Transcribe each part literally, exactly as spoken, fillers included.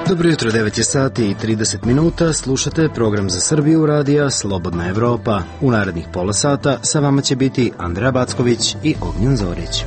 Dobro jutro, devet je sati i trideset minuta, slušate program za Srbiju radija Slobodna Evropa. U narednih pola sata sa vama će biti Andreja Backović i Ognjen Zorić.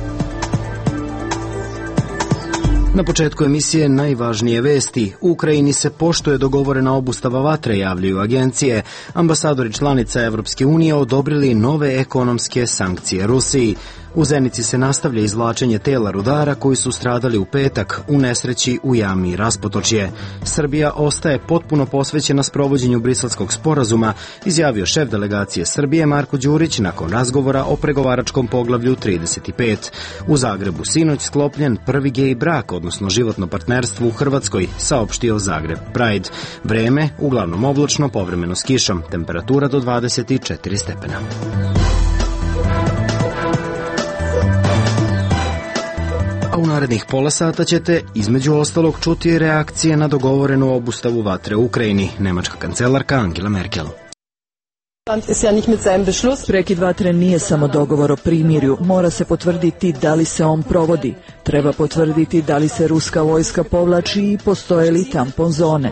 Na početku emisije najvažnije vesti. U Ukrajini se poštuje dogovorena obustava vatre, javljaju agencije. Ambasadori članica Evropske unije odobrili nove ekonomske sankcije Rusiji. U Zenici se nastavlja izvlačenje tela rudara koji su stradali u petak u nesreći u jami Raspotočje. Srbija ostaje potpuno posvećena sprovođenju Briselskog sporazuma, izjavio šef delegacije Srbije Marko Đurić nakon razgovora o pregovaračkom poglavlju trideset pet. U Zagrebu sinoć sklopljen prvi gej brak, odnosno životno partnerstvo u Hrvatskoj, saopštio Zagreb Pride. Vreme uglavnom oblačno, povremeno s kišom, temperatura do dvadeset četiri stepena. U narednih pola sata ćete, između ostalog, čuti reakcije na dogovorenu obustavu vatre u Ukrajini. Nemačka kancelarka Angela Merkel. Prekid vatre nije samo dogovor o primirju, mora se potvrditi da li se on provodi. Treba potvrditi da li se ruska vojska povlači i postoje li tampon zone.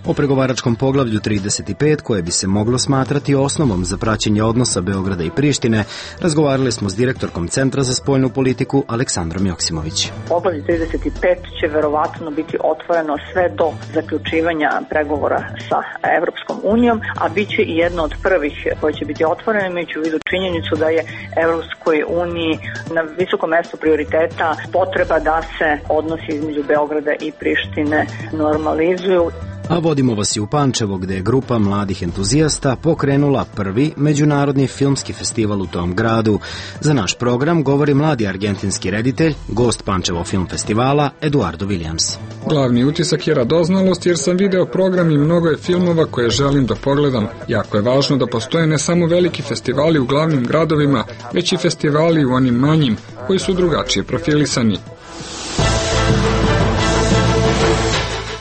O pregovaračkom poglavlju trideset pet, koje bi se moglo smatrati osnovom za praćenje odnosa Beograda i Prištine, razgovarali smo s direktorkom Centra za spoljnu politiku Aleksandrom Joksimović. Poglavlje trideset pet će verovatno biti otvoreno sve do zaključivanja pregovora sa Evropskom unijom, a bit će i jedno od prvih koje će biti otvoreno, imajući u vidu činjenicu da je Evropskoj uniji na visokom mestu prioriteta potreba da se odnosi između Beograda i Prištine normalizuju. A vodimo vas i u Pančevo, gde je grupa mladih entuzijasta pokrenula prvi međunarodni filmski festival u tom gradu. Za naš program govori mladi argentinski reditelj, gost Pančevo film festivala, Eduardo Williams. Glavni utisak je radoznalost jer sam video program i mnogo je filmova koje želim da pogledam. Jako je važno da postoje ne samo veliki festivali u glavnim gradovima, već i festivali u onim manjim, koji su drugačije profilisani.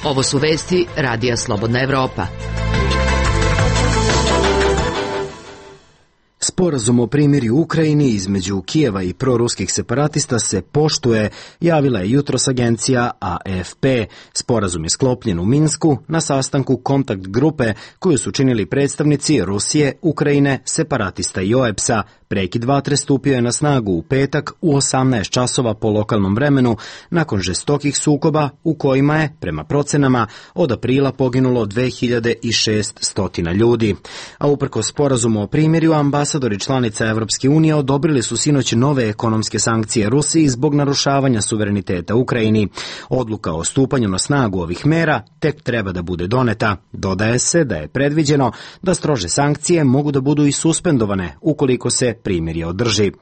Ovo su vesti Radija Slobodna Evropa. Sporazum o primirju u Ukrajini između Kijeva i proruskih separatista se poštuje, javila je jutros agencija A F P. Sporazum je sklopljen u Minsku na sastanku kontakt grupe koju su činili predstavnici Rusije, Ukrajine, separatista i O E B S-a. Prekid vatre stupio je na snagu u petak u osamnaest časova po lokalnom vremenu nakon žestokih sukoba u kojima je, prema procenama, od aprila poginulo dve hiljade šeststo ljudi. A uprkos sporazumu o primirju, ambasadori članica Evropske unije odobrili su sinoć nove ekonomske sankcije Rusiji zbog narušavanja suvereniteta Ukrajini. Odluka o stupanju na snagu ovih mera tek treba da bude doneta. Dodaje se da je predviđeno da strože sankcije mogu da budu i suspendovane ukoliko se primirje održi.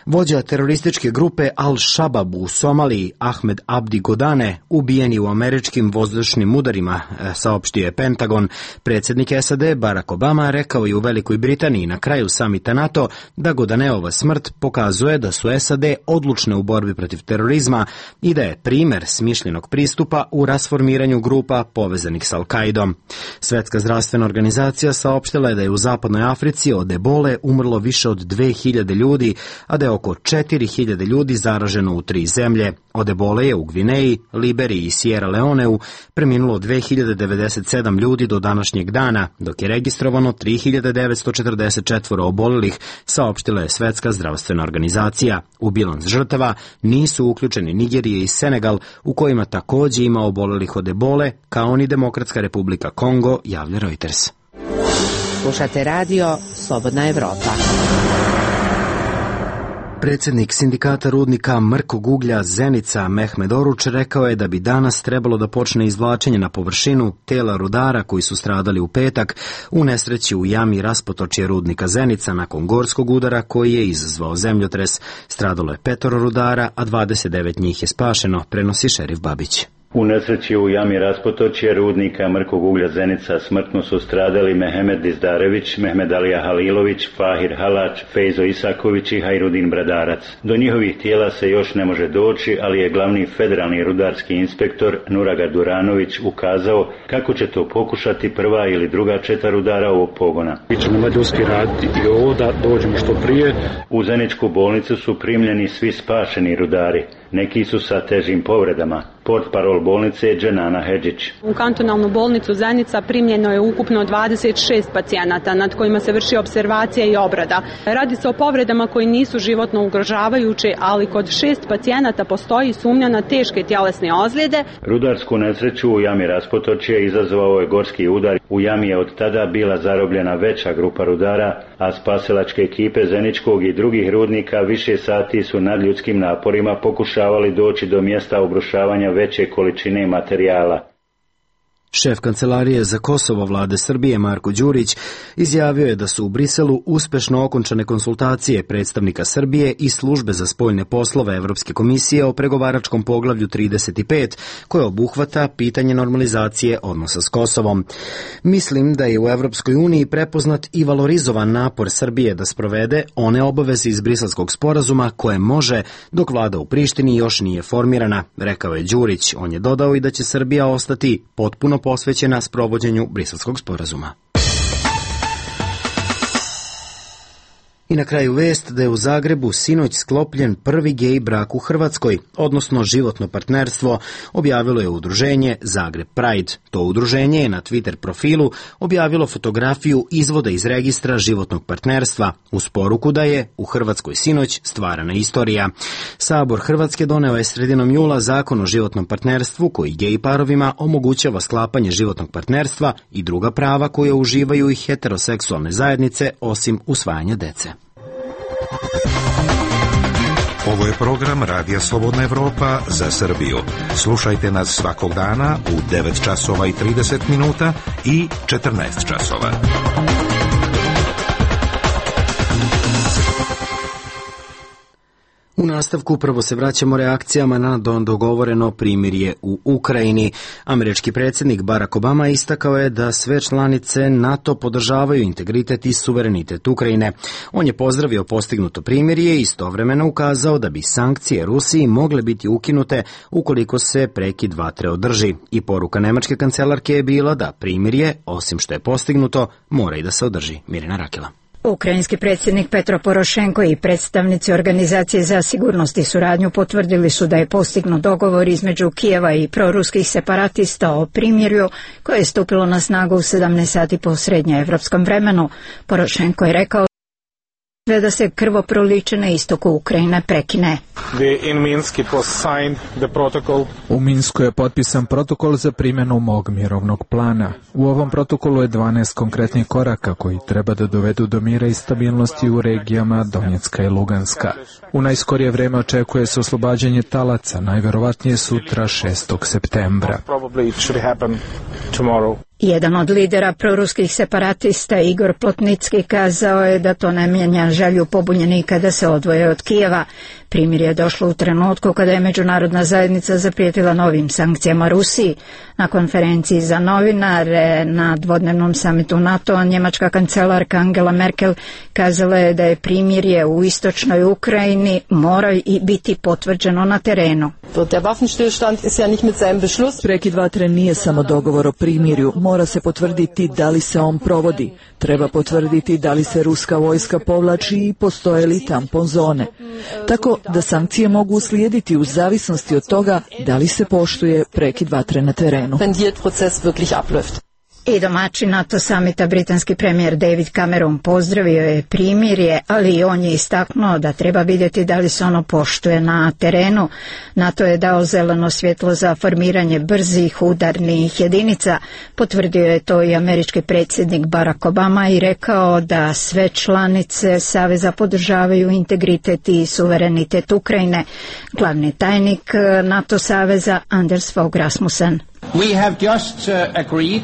Vođa terorističke grupe Al-Shabaab u Somaliji, Ahmed Abdi Godane, ubijen je u američkim vazdušnim udarima, saopštio je Pentagon. Predsjednik S A D Barack Obama rekao je u Velikoj Britaniji na kraju samita NATO da Godaneova smrt pokazuje da su S A D odlučne u borbi protiv terorizma i da je primer smišljenog pristupa u rasformiranju grupa povezanih s Al-Kaidom. Svetska zdravstvena organizacija saopštila je da je u zapadnoj Africi od ebole umrlo više od dve hiljade ljudi, a da je oko četiri hiljade ljudi zaraženo u tri zemlje. Od ebole je u Gvineji, Liberiji i Sierra Leoneu preminulo dve hiljade devedeset sedam ljudi do današnjeg dana, dok je registrovano tri hiljade devetsto četrdeset četiri obolelih, saopštila je Svetska zdravstvena organizacija. U bilans žrtava nisu uključeni Nigerije i Senegal, u kojima takođe ima obolelih od ebole, kao ni Demokratska republika Kongo, javlja Reuters. Slušate radio Slobodna Evropa. Predsjednik sindikata rudnika mrkog uglja Zenica Mehmed Oruč rekao je da bi danas trebalo da počne izvlačenje na površinu tela rudara koji su stradali u petak u nesreći u jami Raspotočje rudnika Zenica nakon gorskog udara koji je izazvao zemljotres. Stradalo je petoro rudara, a dvadeset devet njih je spašeno, prenosi šerif Babić. U nesreći u jami Raspotočje rudnika mrkog uglja Zenica smrtno su stradali Mehmed Dizdarević, Mehmed Alija Halilović, Fahir Halač, Fejzo Isaković i Hajrudin Bradarac. Do njihovih tijela se još ne može doći, ali je glavni federalni rudarski inspektor Nuraga Duranović ukazao kako će to pokušati prva ili druga četa rudara ovog pogona. Mi ćemo mađarski raditi i ovo da dođemo što prije. U Zeničku bolnicu su primljeni svi spašeni rudari. Neki su sa težim povredama. Portparol bolnice je Dženana Hedžić. U kantonalnu bolnicu Zenica primljeno je ukupno dvadeset šest pacijenata nad kojima se vrši observacija i obrada. Radi se o povredama koji nisu životno ugrožavajuće, ali kod šest pacijenata postoji sumnja na teške tjelesne ozljede. Rudarsku nesreću u jami Raspotočje izazvao je gorski udar. U jami je od tada bila zarobljena veća grupa rudara, a spasilačke ekipe Zeničkog i drugih rudnika više sati su nadljudskim naporima pokušavali doći do mjesta obrušavanja veće količine materijala. Šef kancelarije za Kosovo vlade Srbije Marko Đurić izjavio je da su u Briselu uspešno okončane konsultacije predstavnika Srbije i službe za spoljne poslove Evropske komisije o pregovaračkom poglavlju trideset pet, koje obuhvata pitanje normalizacije odnosa s Kosovom. Mislim da je u Evropskoj uniji prepoznat i valorizovan napor Srbije da sprovede one obaveze iz Briselskog sporazuma koje može dok vlada u Prištini još nije formirana, rekao je Đurić. On je dodao i da će Srbija ostati potpuno posvećena sprovođenju Briselskog sporazuma. I na kraju vest da je u Zagrebu sinoć sklopljen prvi gej brak u Hrvatskoj, odnosno životno partnerstvo, objavilo je udruženje Zagreb Pride. To udruženje je na Twitter profilu objavilo fotografiju izvoda iz registra životnog partnerstva uz poruku da je u Hrvatskoj sinoć stvarana istorija. Sabor Hrvatske doneo je sredinom jula zakon o životnom partnerstvu koji gej parovima omogućava sklapanje životnog partnerstva i druga prava koje uživaju i heteroseksualne zajednice osim usvajanja dece. Ovo je program Radija Slobodna Evropa za Srbiju. Slušajte nas svakog dana u devet časova i trideset minuta i četrnaest časova. U nastavku prvo se vraćamo reakcijama na dogovoreno primirje u Ukrajini. Američki predsjednik Barack Obama istakao je da sve članice NATO podržavaju integritet i suverenitet Ukrajine. On je pozdravio postignuto primirje i istovremeno ukazao da bi sankcije Rusiji mogle biti ukinute ukoliko se prekid vatre održi. I poruka nemačke kancelarke je bila da primirje, osim što je postignuto, mora i da se održi. Mirina Rakela. Ukrajinski predsjednik Petro Porošenko i predstavnici Organizacije za sigurnost i suradnju potvrdili su da je postignut dogovor između Kijeva i proruskih separatista o primirju koje je stupilo na snagu u sedamnaest sati po srednjoevropskom vremenu. Porošenko je rekao da se krvoproliće na istoku Ukrajine prekine. U Minsku je potpisan protokol za primjenu mog mirovnog plana. U ovom protokolu je dvanaest konkretnih koraka koji treba da dovedu do mira i stabilnosti u regijama Donjecka i Luganska. U najskorije vreme očekuje se oslobađanje talaca, najverovatnije sutra šestog septembra. Jedan od lidera proruskih separatista, Igor Plotnicki, kazao je da to ne mijenja želju pobunjenika da se odvoje od Kijeva. Primirje je došlo u trenutku kada je međunarodna zajednica zaprijetila novim sankcijama Rusiji. Na konferenciji za novinare na dvodnevnom samitu NATO njemačka kancelarka Angela Merkel kazala je da je primirje u istočnoj Ukrajini mora i biti potvrđeno na terenu. Prekid vatre nije samo dogovor o primirju, mora se potvrditi da li se on provodi. Treba potvrditi da li se ruska vojska povlači i postoje li tampon zone. Tako da sankcije mogu uslijediti u zavisnosti od toga da li se poštuje prekid vatre na terenu. I domaćin NATO samita britanski premijer David Cameron pozdravio je primirje, ali i on je istaknuo da treba vidjeti da li se ono poštuje na terenu. NATO je dao zeleno svjetlo za formiranje brzih udarnih jedinica. Potvrdio je to i američki predsjednik Barack Obama i rekao da sve članice saveza podržavaju integritet i suverenitet Ukrajine. Glavni tajnik NATO saveza Anders Fogh Rasmussen. We have just uh, agreed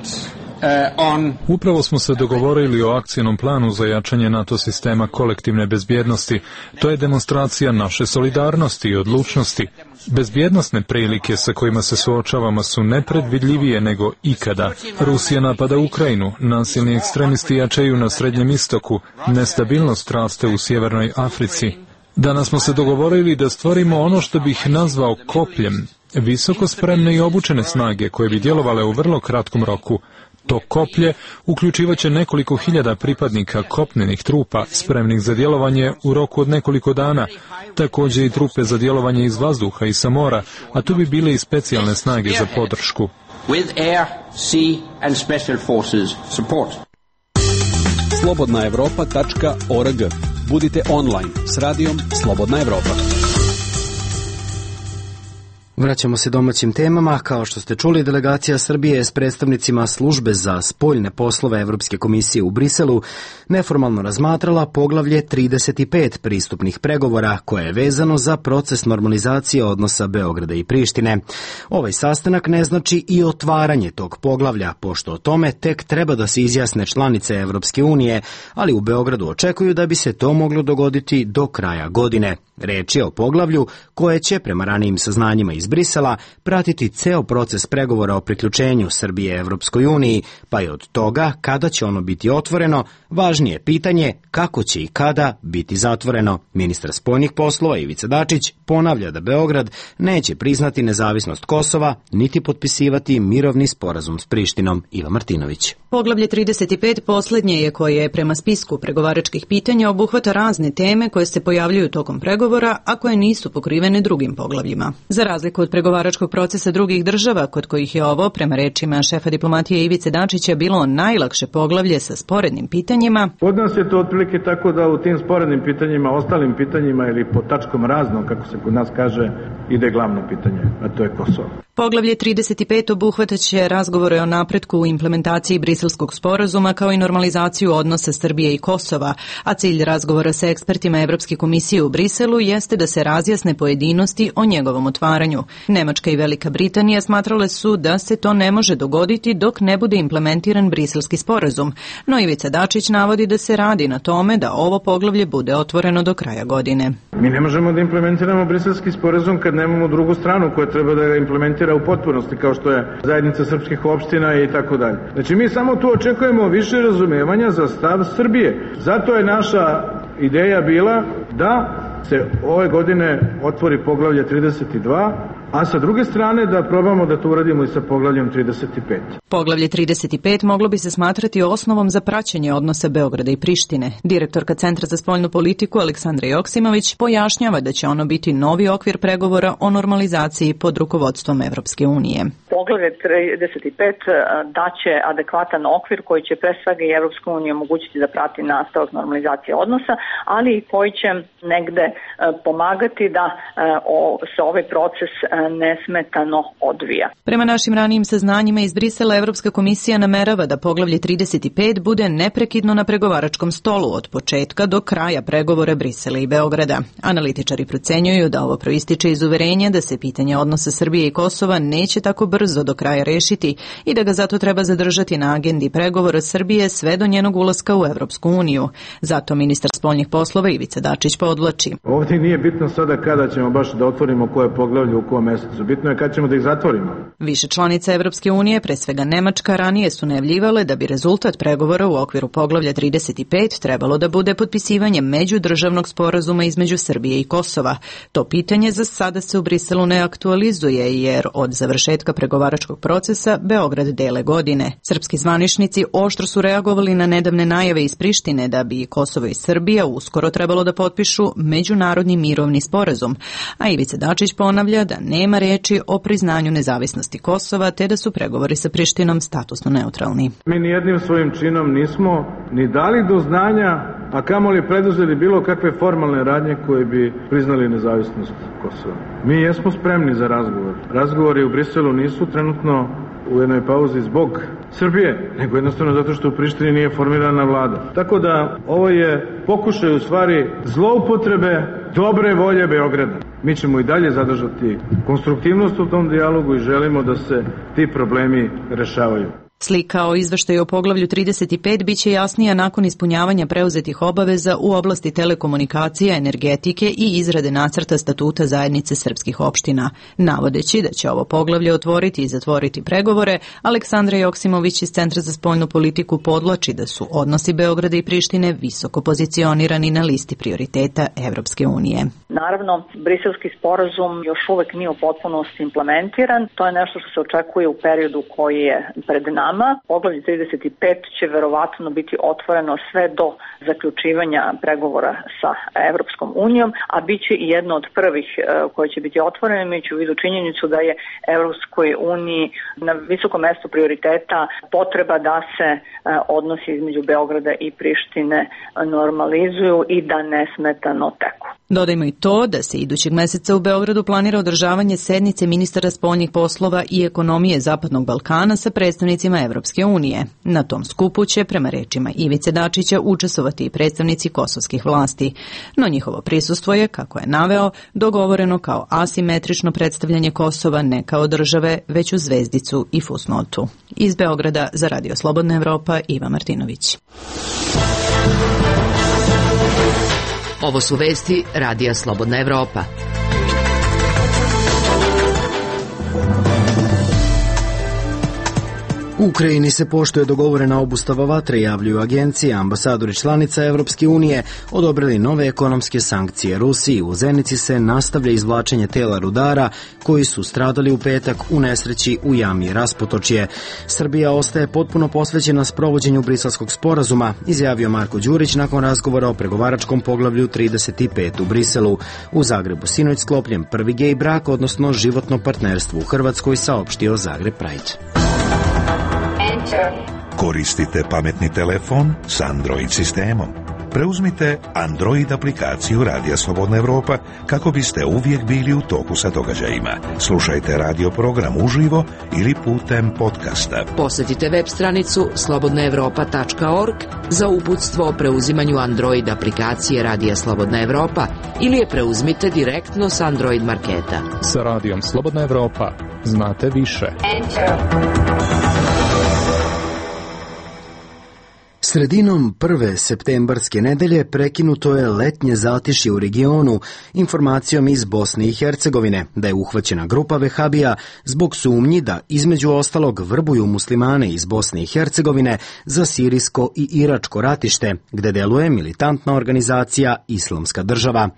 Upravo smo se dogovorili o akcijnom planu za jačanje NATO sistema kolektivne bezbjednosti. To je demonstracija naše solidarnosti i odlučnosti. Bezbjednosne prilike sa kojima se suočavamo su nepredvidljivije nego ikada. Rusija napada Ukrajinu, nasilni ekstremisti jačaju na Srednjem istoku, nestabilnost raste u Sjevernoj Africi. Danas smo se dogovorili da stvorimo ono što bih nazvao kopljem, visoko spremne i obučene snage koje bi djelovale u vrlo kratkom roku. To koplje uključivaće nekoliko hiljada pripadnika kopnenih trupa spremnih za djelovanje u roku od nekoliko dana, također i trupe za djelovanje iz vazduha i sa mora, a tu bi bile i specijalne snage za podršku. slobodna evropa tačka org. Budite online s radijom Slobodna Evropa. Vraćamo se domaćim temama. Kao što ste čuli, delegacija Srbije s predstavnicima službe za spoljne poslove Evropske komisije u Briselu neformalno razmatrala poglavlje trideset pet pristupnih pregovora koje je vezano za proces normalizacije odnosa Beograda i Prištine. Ovaj sastanak ne znači i otvaranje tog poglavlja, pošto o tome tek treba da se izjasne članice Evropske unije, ali u Beogradu očekuju da bi se to moglo dogoditi do kraja godine. Reč je o poglavlju koje će, prema ranijim saznanjima iz Brisela, pratiti ceo proces pregovora o priključenju Srbije Evropskoj uniji, pa je od toga kada će ono biti otvoreno, važnije pitanje kako će i kada biti zatvoreno. Ministar spoljnih poslova Ivica Dačić ponavlja da Beograd neće priznati nezavisnost Kosova, niti potpisivati mirovni sporazum s Prištinom. Iva Martinović. Poglavlje trideset pet posljednje je koje prema spisku pregovaračkih pitanja obuhvata razne teme koje se pojavljuju tokom pregovora, a koje nisu pokrivene drugim poglavljima. Za razliku od pregovaračkog procesa drugih država, kod kojih je ovo, prema rečima šefa diplomatije Ivice Dačića, bilo najlakše poglavlje sa sporednim pitanjima. Kod nas je to otprilike tako da u tim sporednim pitanjima, ostalim pitanjima ili po tačkom razno, kako se kod nas kaže, ide glavno pitanje, a to je Kosovo. Poglavlje trideset pet obuhvataće razgovore o napretku u implementaciji Briselskog sporazuma kao i normalizaciju odnosa Srbije i Kosova, a cilj razgovora sa ekspertima Evropske komisije u Briselu jeste da se razjasne pojedinosti o njegovom otvaranju. Nemačka i Velika Britanija smatrale su da se to ne može dogoditi dok ne bude implementiran Briselski sporazum, no Ivica Dačić navodi da se radi na tome da ovo poglavlje bude otvoreno do kraja godine. Mi ne možemo da implementiramo Briselski sporazum kad nemamo drugu stranu koja treba da ga implementira u potpunosti, kao što je zajednica srpskih opština i tako dalje. Znači mi samo tu očekujemo više razumevanja za stav Srbije. Zato je naša ideja bila da se ove godine otvori poglavlje trideset dva, a sa druge strane da probamo da to uradimo i sa poglavljem trideset pet. Poglavlje trideset pet moglo bi se smatrati osnovom za praćenje odnosa Beograda i Prištine. Direktorka Centra za spoljnu politiku Aleksandra Joksimović pojašnjava da će ono biti novi okvir pregovora o normalizaciji pod rukovodstvom Evropske unije. Poglavlje trideset pet daće adekvatan okvir koji će pre svega i Evropska unija omogućiti da prati nastavak normalizacije odnosa, ali i koji će negde pomagati da se ovaj proces nesmetano odvija. Prema našim ranijim saznanjima iz Brisela, Evropska komisija namerava da poglavlje trideset pet bude neprekidno na pregovaračkom stolu od početka do kraja pregovora Brisela i Beograda. Analitičari procenjuju da ovo proističe iz uverenja da se pitanje odnosa Srbije i Kosova neće tako brzo do kraja rešiti i da ga zato treba zadržati na agendi pregovora Srbije sve do njenog ulaska u Evropsku uniju. Zato ministar spoljnih poslova Ivica Dačić podvlači. Ovdje nije bitno sada kada ćemo baš da otvorimo koje poglavlje u kom mjesecu. Bitno je kad ćemo da ih zatvorimo. Više članica Evropske unije, pre svega Nemačka, ranije su najavljivale da bi rezultat pregovora u okviru poglavlja trideset pet trebalo da bude potpisivanje međudržavnog sporazuma između Srbije i Kosova. To pitanje za sada se u Briselu ne aktualizuje jer od završetka pregovaračkog procesa Beograd dele godine. Srpski zvaničnici oštro su reagovali na nedavne najave iz Prištine da bi Kosovo i Srbija uskoro trebalo da potpišu međunarodni mirovni sporazum, a Ivica Dačić ponavlja da nema reči o priznanju nezavisnosti Kosova te da su pregovori sa Prištinom statusno neutralni. Mi nijednim svojim činom nismo ni dali do znanja, a kamoli preduzeli bilo kakve formalne radnje koje bi priznali nezavisnost Kosova. Mi jesmo spremni za razgovor. Razgovori u Briselu nisu trenutno u jednoj pauzi zbog Srbije, nego jednostavno zato što u Prištini nije formirana vlada. Tako da ovo je pokušaj u stvari zloupotrebe dobre volje Beograda. Mi ćemo i dalje zadržati konstruktivnost u tom dijalogu i želimo da se ti problemi rešavaju. Slika o izveštaju o poglavlju trideset pet biće jasnija nakon ispunjavanja preuzetih obaveza u oblasti telekomunikacija, energetike i izrade nacrta statuta zajednice srpskih opština. Navodeći da će ovo poglavlje otvoriti i zatvoriti pregovore, Aleksandra Joksimović iz Centra za spoljnu politiku podvlači da su odnosi Beograda i Prištine visoko pozicionirani na listi prioriteta Evropske unije. Naravno, briselski sporazum još uvek nije u potpunosti implementiran. To je nešto što se očekuje u periodu koji je pred nama. Poglavlje trideset pet će verovatno biti otvoreno sve do zaključivanja pregovora sa Evropskom unijom, a bit će i jedno od prvih koje će biti otvoreno, imajući u vidu činjenicu da je Evropskoj uniji na visokom mestu prioriteta potreba da se odnosi između Beograda i Prištine normalizuju i da nesmetano teku. Dodajmo i to da se idućeg meseca u Beogradu planira održavanje sednice ministara spoljnih poslova i ekonomije Zapadnog Balkana sa predstavnicima Evropske unije. Na tom skupu će, prema rečima Ivice Dačića, učestvovati i predstavnici kosovskih vlasti. No njihovo prisustvo je, kako je naveo, dogovoreno kao asimetrično predstavljanje Kosova ne kao države, već u zvezdicu i fusnotu. Iz Beograda za Radio Slobodna Evropa, Iva Martinović. Ovo su vesti Radija Slobodna Evropa. U Ukrajini se poštuje dogovorena obustava vatre, javljuju agencije. Ambasadori članica Evropske unije odobrili nove ekonomske sankcije Rusiji. U Zenici se nastavlja izvlačenje tela rudara koji su stradali u petak u nesreći u jami Raspotočje. Srbija ostaje potpuno posvećena sprovođenju Briselskog sporazuma, izjavio Marko Đurić nakon razgovora o pregovaračkom poglavlju trideset pet u Briselu. U Zagrebu sinoć sklopljen prvi gej brak, odnosno životno partnerstvo u Hrvatskoj, saopštio Zagreb Pride. Koristite pametni telefon s Android sistemom. Preuzmite Android aplikaciju Radija Slobodna Evropa kako biste uvijek bili u toku sa događajima. Slušajte radio program uživo ili putem podcasta. Posjetite web stranicu slobodna evropa tačka org za uputstvo o preuzimanju Android aplikacije Radija Slobodna Evropa ili je preuzmite direktno s Android marketa. Sa Radijom Slobodna Evropa znate više. Sredinom prve septembarske nedelje prekinuto je letnje zatišje u regionu informacijom iz Bosne i Hercegovine da je uhvaćena grupa vehabija zbog sumnji da između ostalog vrbuju muslimane iz Bosne i Hercegovine za sirijsko i iračko ratište, gde deluje militantna organizacija Islamska država.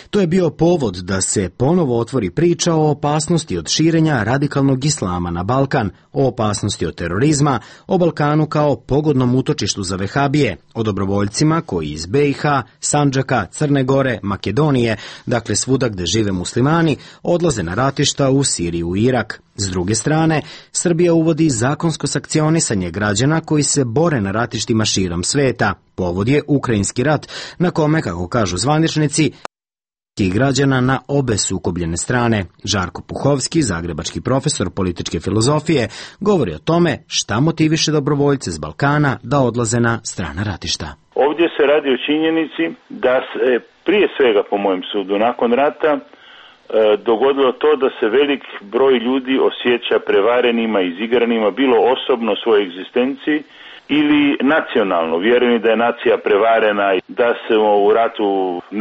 To je bio povod da se ponovo otvori priča o opasnosti od širenja radikalnog islama na Balkan, o opasnosti od terorizma, o Balkanu kao pogodnom utočištu za vehabije, o dobrovoljcima koji iz be i ha, Sandžaka, Crne Gore, Makedonije, dakle svuda gde žive muslimani, odlaze na ratišta u Siriju i Irak. S druge strane, Srbija uvodi zakonsko sankcionisanje građana koji se bore na ratištima širom sveta. Povod je Ukrajinski rat, na kome, kako kažu zvaničnici, i građana na obe sukobljene strane. Žarko Puhovski, zagrebački profesor političke filozofije, govori o tome šta motiviše dobrovoljce s Balkana da odlaze na strana ratišta. Ovdje se radi o činjenici da se prije svega, po mojem sudu, nakon rata e, dogodilo to da se velik broj ljudi osjeća prevarenima, izigranima, bilo osobno svoje egzistenciji ili nacionalno, vjerujem da je nacija prevarena, da smo u ratu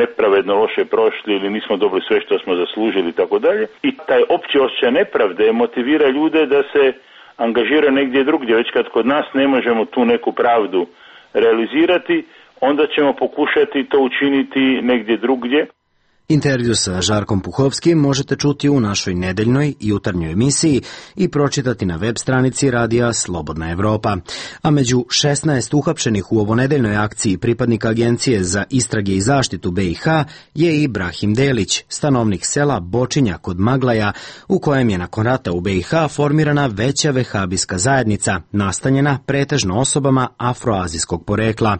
nepravedno loše prošli ili nismo dobili sve što smo zaslužili i tako dalje. I taj opći osjećaj nepravde motivira ljude da se angažiraju negdje drugdje. Već kad kod nas ne možemo tu neku pravdu realizirati, onda ćemo pokušati to učiniti negdje drugdje. Intervju sa Žarkom Puhovskim možete čuti u našoj nedeljnoj jutarnjoj emisiji i pročitati na web stranici Radija Slobodna Evropa. A među šesnaest uhapšenih u ovonedeljnoj akciji pripadnika Agencije za istrage i zaštitu be i ha je i Brahim Delić, stanovnik sela Bočinja kod Maglaja, u kojem je nakon rata u be i ha formirana veća vehabijska zajednica, nastanjena pretežno osobama afroazijskog porekla.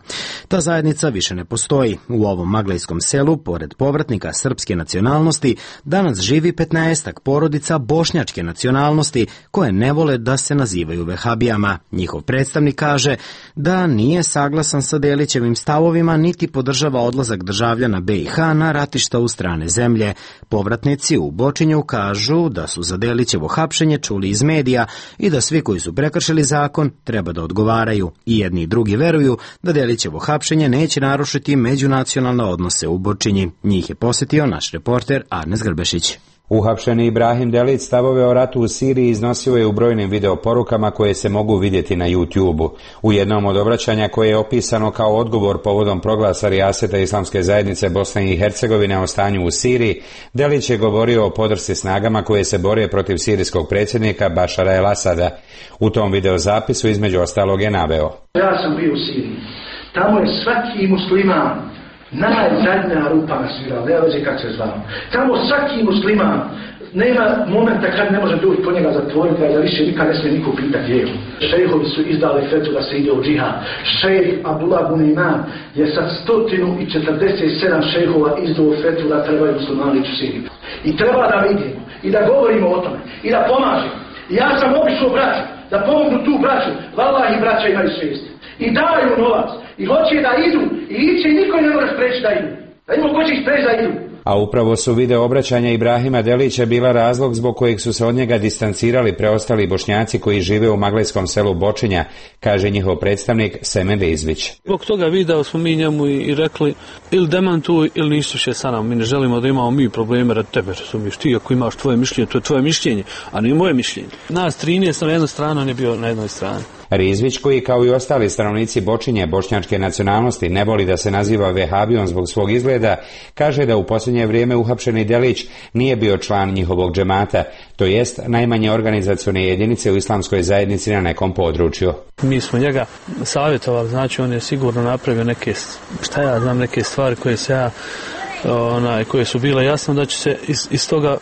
Ta zajednica više ne postoji. U ovom maglajskom selu, pored povratnika srpske nacionalnosti danas živi petnaestak porodica bošnjačke nacionalnosti koje ne vole da se nazivaju vehabijama. Njihov predstavnik kaže da nije saglasan sa Delićevim stavovima niti podržava odlazak državljana B i H na ratišta u strane zemlje. Povratnici u Bočinju kažu da su za Delićevo hapšenje čuli iz medija i da svi koji su prekršili zakon treba da odgovaraju. I jedni i drugi veruju da Delićevo hapšenje neće narušiti međunacionalne odnose u Bočinji. Njih je posjetio naš reporter Arnes Grbešić. Uhapšeni Ibrahim Delić stavove o ratu u Siriji iznosio je u brojnim videoporukama koje se mogu vidjeti na YouTube-u. U jednom od obraćanja koje je opisano kao odgovor povodom proglasa rijaseta Islamske zajednice Bosne i Hercegovine o stanju u Siriji, Delić je govorio o podršci snagama koje se bore protiv sirijskog predsjednika Bašara el-Asada. U tom videozapisu između ostalog je naveo: Ja sam bio u Siriji. Tamo je svaki musliman najzadnja rupa na svirala, ne veze kako se zvao. Tamo svaki musliman nema momenta kad ne može doći po njega zatvoriti, a da više nikad ne smije niko pitati gdje je. Šejhovi su izdali fetu da se ide u džihad. Šejh Abdullah Buneiman je sa sto četrdeset sedam šejhova izdao fetu da trebaju muslimani ići u Siriju. I treba da vidimo i da govorimo o tome i da pomažemo. I ja sam obišao braću, da pomognu tu braću. Vallahi braća imaju svijest. I daju novac. I hoće da idu. I iće i niko ne može spreći da idu. Da ima ko će ih spreći da idu. A upravo su video obraćanja Ibrahima Delića bila razlog zbog kojeg su se od njega distancirali preostali Bošnjaci koji žive u maglejskom selu Bočinja, kaže njihov predstavnik Semen Izvić. Zbog toga video smo mi njemu i rekli ili demantuj ili nisu še sa nam. Mi ne želimo da imamo mi probleme rad tebe, razumiješ. Ti ako imaš tvoje mišljenje, to je tvoje mišljenje, a ne moje mišljenje. Nas trinaest na jednoj strani, on je bio na jednoj strani. Rizvić, koji kao i ostali stanovnici Bočinje bošnjačke nacionalnosti ne voli da se naziva vehabijom zbog svog izgleda, kaže da u posljednje vrijeme uhapšeni Delić nije bio član njihovog džemata, to jest najmanje organizacione jedinice u islamskoj zajednici na nekom području. Mi smo njega savjetovali, znači on je sigurno napravio neke, šta ja znam, neke stvari koje se ja onaj, koje su bile jasno da će se iz, iz toga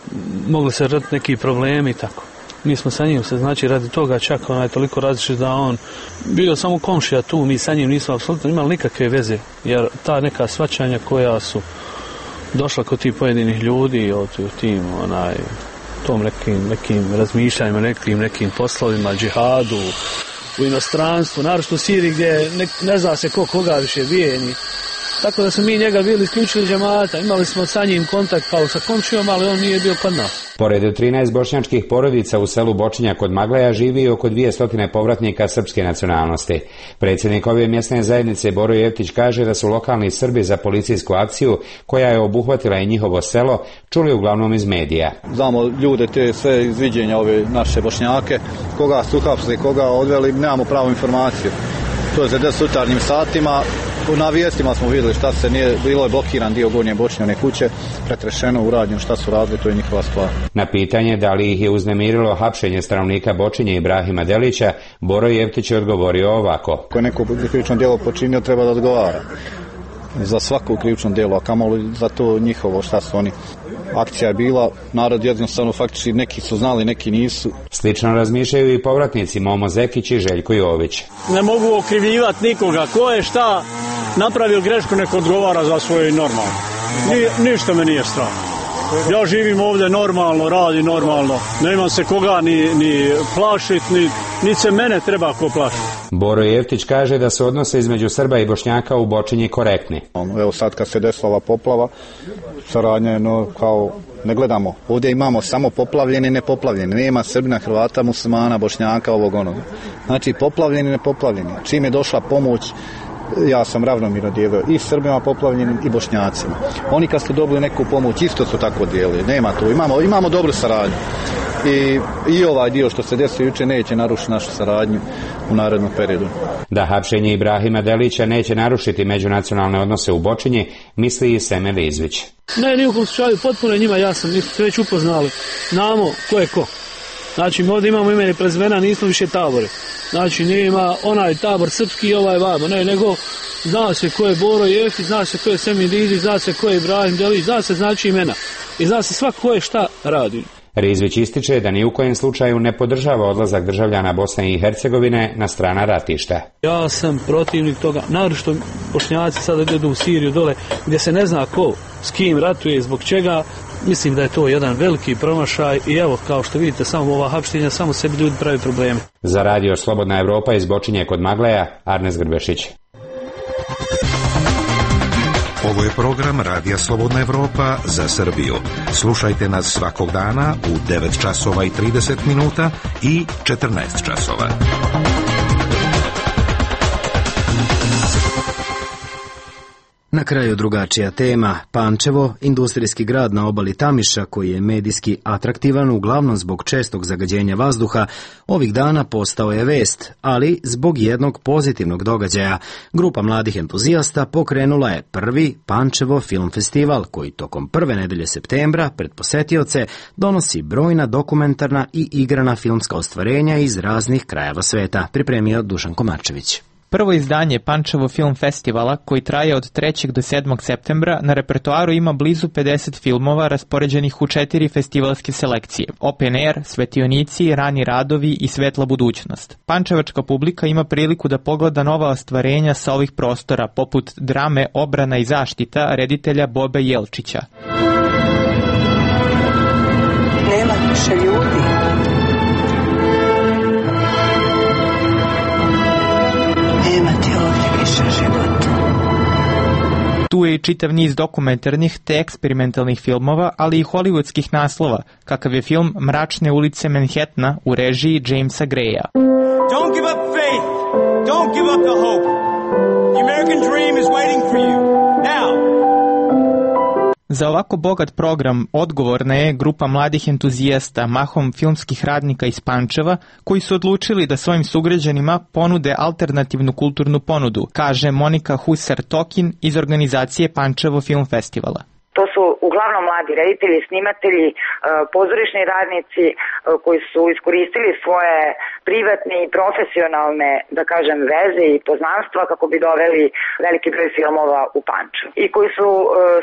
mogli se raditi neki problemi i tako. Mi smo sa njim se, znači radi toga čak onaj toliko različit da on bio samo komšija tu, mi sa njim nismo apsolutno imali nikakve veze, jer ta neka svačanja koja su došla kod tih pojedinih ljudi o tim onaj tom nekim, nekim razmišljanjima, nekim nekim poslovima, džihadu u inostranstvu, naročito u Siriji gdje ne, ne zna se ko koga više bijeni. Tako da smo mi njega bili isključili džemata, imali smo sa njim kontakt kao sa komšijom, ali on nije bio kod nas. Pored trinaest bošnjačkih porodica u selu Bočinja kod Magleja živi oko dvije stotine povratnika srpske nacionalnosti. Predsjednik ove mjesne zajednice Boro Jeftić kaže da su lokalni Srbi za policijsku akciju, koja je obuhvatila i njihovo selo, čuli uglavnom iz medija. Znamo ljude te sve izviđenja ove naše Bošnjake, koga su uhapsili, koga odveli, nemamo pravu informaciju. To je za deset jutarnjim satima. Na vijestima smo vidjeli šta se nije, bilo je blokiran dio Gornje Bočinjane kuće, pretrešeno, urađeno, šta su radili, to je njihova stvar. Na pitanje da li ih je uznemirilo hapšenje stanovnika Bočinje Ibrahima Delića, Boro Jeftić je odgovorio ovako. Ako je neko krivično djelo počinio, treba da odgovara za svako krivično djelo, a kamoli za to njihovo, šta su oni. Akcija je bila, narod jednostavno faktički neki su znali, neki nisu. Slično razmišljaju i povratnici Momo Zekić i Željko Jović. Ne mogu okrivljivati nikoga, ko je šta napravio grešku, nek odgovara za svoje normalno. Ni, ništa me nije strah. Ja živim ovdje normalno, radim normalno, nemam se koga ni, ni plašit, ni, ni se mene treba ko plašiti. Boro Jeftić kaže da se odnose između Srba i Bošnjaka u Bočinji korektni. Evo sad kad se desila ova poplava, saradnja, no kao ne gledamo. Ovdje imamo samo poplavljeni i nepoplavljeni. Nema Srbina, Hrvata, Muslimana, Bošnjaka, ovog onog. Znači poplavljeni i nepoplavljeni. Čim je došla pomoć, ja sam ravnomjerno dijelio i Srbima poplavljenim i Bošnjacima. Oni kad su dobili neku pomoć isto su tako dijelili. Nema tu. Imamo, imamo dobru saradnju. I, i ovaj dio što se desio jučer neće narušiti našu saradnju u narednom periodu. Da hapšenje Ibrahima Delića neće narušiti međunacionalne odnose u Bočinji, misli i Semen Izvić. Ne, nijekom slučaju, potpuno je njima jasno, mi smo već upoznali. Znamo ko je ko. Znači, ovdje imamo ime i prezimena, nismo više tabore. Znači, nema onaj tabor srpski i ovaj vamo, ne, nego zna se ko je Boro Jeftić, zna se ko je Semen Izvić, zna se ko je Ibrahim Delić, zna se znači imena. I zna se svako ko je šta radi. Rizvić ističe da ni u kojem slučaju ne podržava odlazak državljana Bosne i Hercegovine na strana ratišta. Ja sam protivnik toga, naročito Bošnjaci sada idu u Siriju dole, gdje se ne zna ko, s kim ratuje, zbog čega. Mislim da je to jedan veliki promašaj i evo, kao što vidite, samo ova hapštenja, samo sebi ljudi pravi probleme. Za radio Slobodna Evropa iz Bočinje kod Magleja, Arnes Grbešić. Ovo je program Radija Slobodna Evropa za Srbiju. Slušajte nas svakog dana u devet časova i trideset minuta i četrnaest časova. Na kraju drugačija tema. Pančevo, industrijski grad na obali Tamiša koji je medijski atraktivan uglavnom zbog čestog zagađenja vazduha, ovih dana postao je vest, ali zbog jednog pozitivnog događaja. Grupa mladih entuzijasta pokrenula je prvi Pančevo film festival koji tokom prve nedelje septembra pred posetioce donosi brojna dokumentarna i igrana filmska ostvarenja iz raznih krajeva sveta, pripremio Dušan Komarčević. Prvo izdanje Pančevo film festivala, koji traje od trećeg do sedmog septembra, na repertoaru ima blizu pedeset filmova raspoređenih u četiri festivalske selekcije: Open Air, Svetionici, Rani radovi i Svetla budućnost. Pančevačka publika ima priliku da pogleda nova ostvarenja sa ovih prostora, poput drame Obrana i zaštita reditelja Bobe Jelčića. Nema više ljudi. Tu je i čitav niz dokumentarnih te eksperimentalnih filmova, ali i hollywoodskih naslova, kakav je film Mračne ulice Manhattana u režiji Jamesa Greya. Don't give up faith. Don't give up the hope. The American dream is waiting for you. Now. Za ovako bogat program odgovorna je grupa mladih entuzijasta, mahom filmskih radnika iz Pančeva, koji su odlučili da svojim sugrađanima ponude alternativnu kulturnu ponudu, kaže Monika Husar-Tokin iz organizacije Pančevo film festivala. To su uglavnom mladi reditelji, snimatelji, pozorišni radnici koji su iskoristili svoje privatne i profesionalne, da kažem, veze i poznanstva kako bi doveli veliki broj filmova u Pančevo. I koji su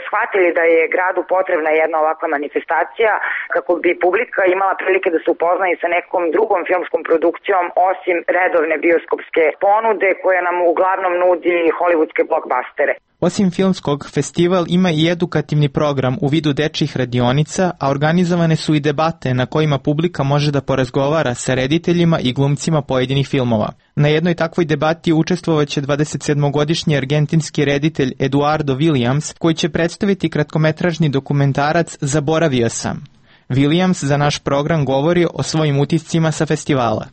shvatili da je gradu potrebna jedna ovakva manifestacija kako bi publika imala prilike da se upozna i sa nekom drugom filmskom produkcijom osim redovne bioskopske ponude koja nam uglavnom nudi hollywoodske blockbustere. Osim filmskog, festival ima i edukativni program u vidu dečjih radionica, a organizovane su i debate na kojima publika može da porazgovara sa rediteljima i glumcima pojedinih filmova. Na jednoj takvoj debati učestvovaće dvadesetsedmogodišnji argentinski reditelj Eduardo Williams, koji će predstaviti kratkometražni dokumentarac Zaboravio sam. Williams za naš program govori o svojim utiscima sa festivala.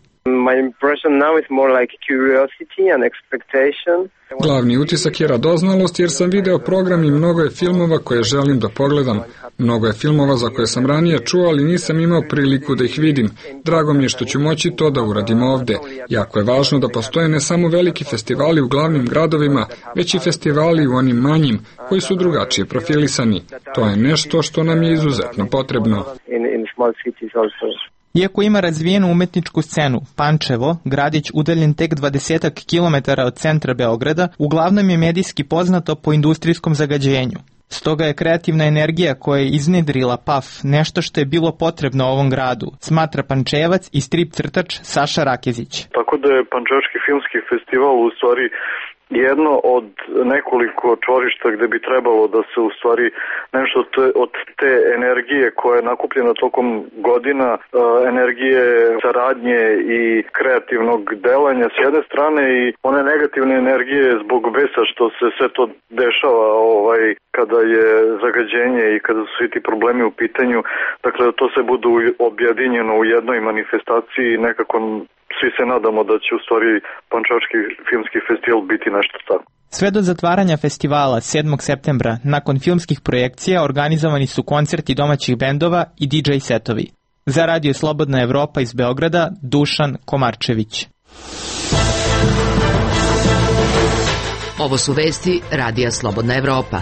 My impression now is more like curiosity and expectation. Glavni utisak je radoznalost jer sam video program i mnogo je filmova koje želim da pogledam. Mnogo je filmova za koje sam ranije čuo, ali nisam imao priliku da ih vidim. Drago mi je što ću moći to da uradim ovde. Jako je važno da postoje ne samo veliki festivali u glavnim gradovima, već i festivali u onim manjim, koji su drugačije profilisani. To je nešto što nam je izuzetno potrebno. Iako ima razvijenu umetničku scenu, Pančevo, gradić udaljen tek dvadesetak kilometara od centra Beograda, uglavnom je medijski poznato po industrijskom zagađenju. Stoga je kreativna energija koja je iznedrila P A F nešto što je bilo potrebno ovom gradu, smatra Pančevac i strip crtač Saša Rakezić. Tako da je Pančevački filmski festival u stvari jedno od nekoliko čvorišta gde bi trebalo da se u stvari nešto te, od te energije koja je nakupljena tokom godina, energije saradnje i kreativnog delanja s jedne strane i one negativne energije zbog besa što se sve to dešava ovaj, kada je zagađenje i kada su svi ti problemi u pitanju, dakle to se budu objedinjeno u jednoj manifestaciji i nekako svi se nadamo da će u stvari Pančevački filmski festival biti nešto tako. Sve do zatvaranja festivala sedmog septembra, nakon filmskih projekcija, organizovani su koncerti domaćih bendova i D J setovi. Za Radio Slobodna Evropa iz Beograda, Dušan Komarčević. Ovo su vesti Radija Slobodna Evropa.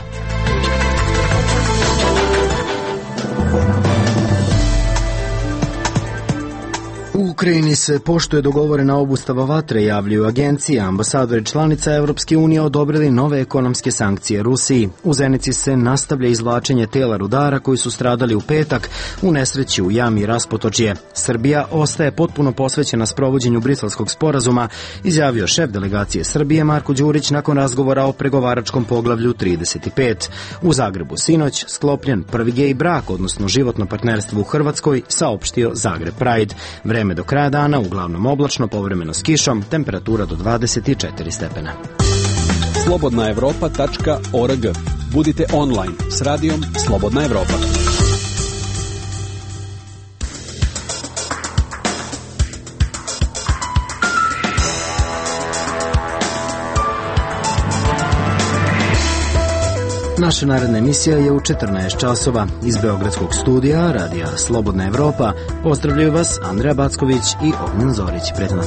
U Ukrajini se poštuje dogovorena obustava vatre, javljaju agencije. Ambasadori članica Evropske unije odobrili nove ekonomske sankcije Rusiji. U Zenici se nastavlja izvlačenje tela rudara koji su stradali u petak u nesreći u jami Raspotočje. Srbija ostaje potpuno posvećena sprovođenju Briselskog sporazuma, izjavio šef delegacije Srbije Marko Đurić nakon razgovora o pregovaračkom poglavlju trideset pet. U Zagrebu sinoć sklopljen prvi gej brak, odnosno životno partnerstvo u Hrvatskoj, saopštio Zagreb Pride. Vreme do kraja dana uglavnom oblačno, povremeno s kišom, temperatura do dvadeset četiri stepena. slobodna evropa tačka org. Budite online s radijom Slobodna Evropa. Naša naredna emisija je u četrnaest časova. Iz Beogradskog studija Radija Slobodna Evropa pozdravljaju vas Andreja Backović i Ognjen Zorić. Prijatno.